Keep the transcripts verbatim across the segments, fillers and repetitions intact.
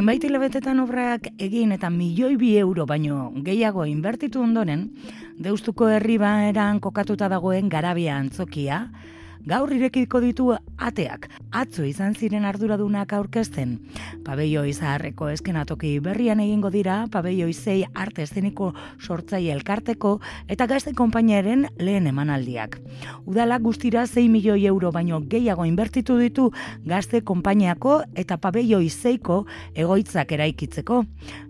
Zenbait hilabetetan obrak egin eta milioi bi euro baino gehiago inbertitu ondoren, Deustuko herribaeran kokatuta dagoen Garabia antzokia, gaur irekiko ditu ateak. Atzo izan ziren arduradunak aurkezten. Pabelloi zaharreko eskenatoki berrian egingo dira, Pabelloi sei arte eszeniko sortzaile elkarteko eta gazte konpainiaren lehen emanaldiak. Udalak guztira sei milioi euro baino gehiago inbertitu ditu gazte konpainiako eta Pabelloi seiko egoitzak eraikitzeko.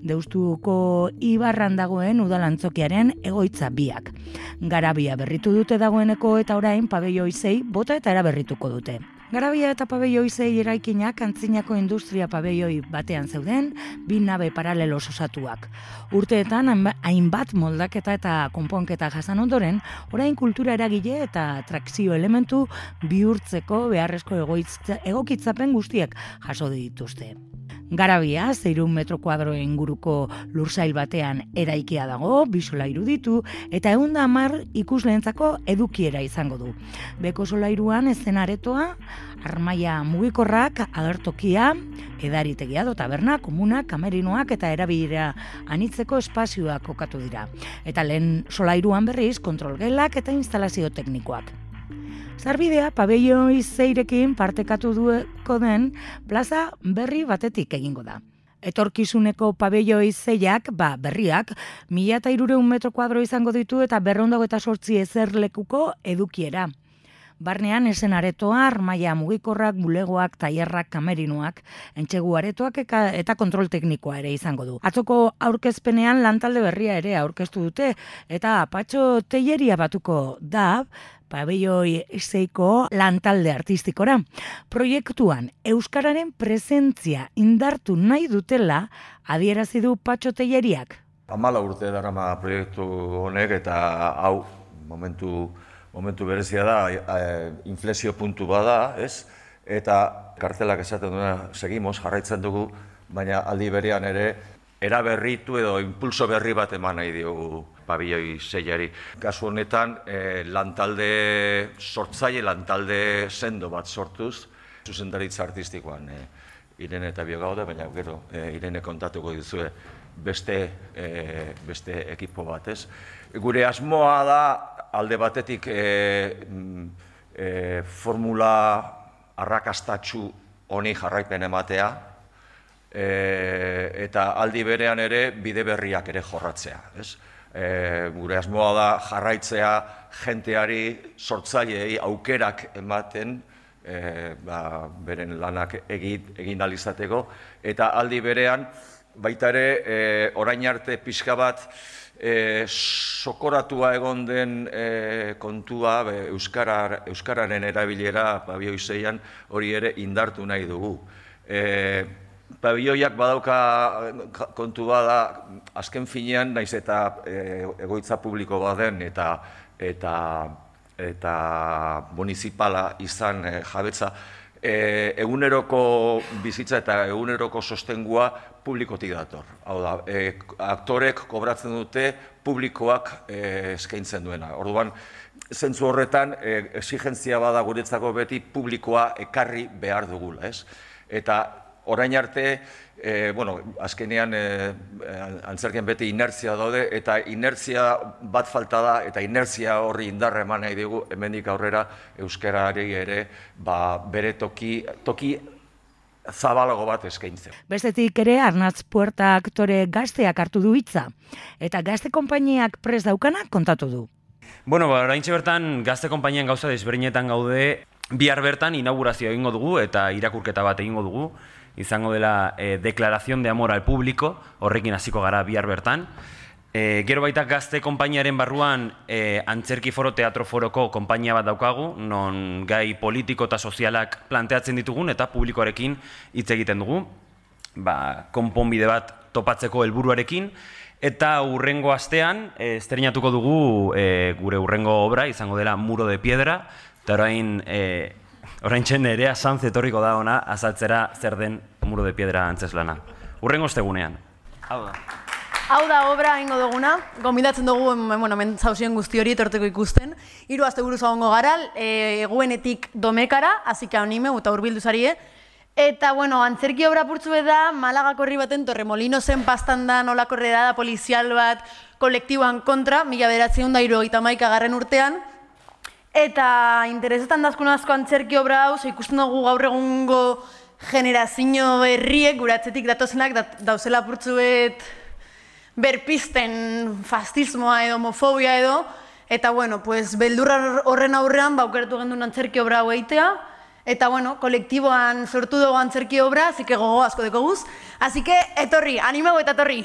Deustuko ibarran dagoen udalantzokiaren egoitza biak. Garabia berritu dute dagoeneko eta orain Pabelloi sei bota eta eraberrituko dute. Garabia eta Pabelloi sei eraikinak antzinako industria pabelloi batean zeuden, bi nabe paralelos osatuak. Urteetan hainbat moldaketa eta konponketa jasan ondoren, orain kultura eragile eta trakzio elementu bihurtzeko beharrezko egoitza, egokitzapen guztiak jaso dituzte. Garabia, seiehun metro kuadro inguruko lursail batean eraikia dago, bi solairu ditu, eta ehun eta hamar ikusleentzako edukiera izango du. Beko solairuan eszenaretoa, armaia mugikorrak, agertokia, edaritegia do taberna, komuna, kamerinoak eta erabilera anitzeko espazioak kokatu dira. Eta lehen solairuan berriz kontrolgelak eta instalazio teknikoak. Zarbidea Pabelloi seirekin partekatu dueko den plaza berri batetik egingo da. Etorkizuneko Pabelloi seiak, ba, berriak, mila eta hirurehun metro kuadro izango ditu eta berrehun eta hogeita zortzi ezerlekuko edukiera. Barnean esen aretoa, armaia mugikorrak, bulegoak, tailerrak, kamerinoak, entsegu aretoak eta kontrol teknikoa ere izango du. Atzoko aurkezpenean lantalde berria ere aurkeztu dute eta Patxo Telleria batuko da Pabelloi seiko lantalde artistikora. Proiektuan euskararen presentzia indartu nahi dutela adierazi du Patxo Telleriak. Hamala urte darama proiektu honek eta hau momentu momentu berezia da, e, inflexio puntu bada, ez? Eta kartelak esaten duena segimos, jarraitzen dugu, baina aldi berean ere eraberritu edo impulso berri bat eman nahi diogu Pabelloi seiari. Kasu honetan, e, lantalde sortzaile, lantalde sendo bat sortuz, zuzendaritza artistikoan e, Irene eta bio gaude, baina gero e, Irene kontatuko dizue beste, e, beste ekipo bat, ez? Gure asmoa da, alde batetik e, e, formula arrakastatsu honi jarraipen ematea, e, eta aldi berean ere bide berriak ere jorratzea. Ez? E, gure asmoa da jarraitzea jenteari, sortzaileei aukerak ematen, e, ba, beren lanak egin, egin alizateko, eta aldi berean baita ere e, orain arte pixka bat E, sokoratua egon den e, kontua be, Euskara, Euskararen erabilera Pabelloi seian hori ere indartu nahi dugu. E, Pabelloiak badauka kontua da, azken finean, naiz eta e, egoitza publiko baden eta, eta, eta municipala izan e, jabetza, E, eguneroko bizitza eta eguneroko sostengua publikotik dator. Hau da, e, aktorek kobratzen dute publikoak e, eskaintzen duena. Orduan, zentzu horretan, e, exigentzia bada guretzako beti publikoa ekarri behar dugula, ez? Eta orain arte, e, bueno, azkenean e, antzerkian beti inertzia daude, eta inertzia bat falta da, eta inertzia horri indarra eman nahi dugu, hemendik aurrera euskarari ere ba, bere toki, toki zabalago bat eskaintzen. Bestetik ere, Arnatz Puerta aktore gazteak hartu du hitza, eta gazte konpainiak prest daukanak kontatu du. Bueno, ba, oraintxe bertan gazte konpainian gauza desberdinetan gaude, bihar bertan inaugurazioa egingo dugu eta irakurketa bat egingo dugu. Izango dela eh, declaración de amor al público, horrekin hasiko gara bihar bertan. E, gero baita gazte konpainiaren barruan e, Antzerki Foro Teatro Foroko konpainia bat daukagu, non gai politiko eta sozialak planteatzen ditugun eta publikoarekin hitz egiten dugu, ba, konponbide bat topatzeko helburuarekin. Eta hurrengo astean, e, estreinatuko dugu e, gure hurrengo obra, izango dela Muro de Piedra, eta orain... E, Orain txen Nerea Sanz etorriko da ona azaltzera zer den Muro de Piedra antzeslana. Hurrengo ostegunean. Hau da. Hau da obra ingo duguna, gomidatzen dugu bueno, hemen zauzien guzti hori etorteko ikusten. Hiru aste buruz egongo gara, e, eguenetik domekara, hasika anime eta hurbildu zarie. Eta, bueno, antzerki obra purtzu da, Malagako herri baten Torremolinosen pastan da nolako redada polizial bat kolektiboan kontra, mila bederatziehun eta hirurogeita hamaika garren urtean. Eta interesetan dazkun asko antzerki obra hau, ikusten dugu gaur egungo generazio berriek, gure atzetik datozenak, dauzela purtzuet berpisten fascismoa edo homofobia edo, eta, bueno, pues, beldurra horren aurrean, baukeratu gendun antzerki obra hau eitea, eta, bueno, kolektiboan sortu dugu antzerki obra, así que gogo asko dekoguz, así que etorri, animago eta etorri!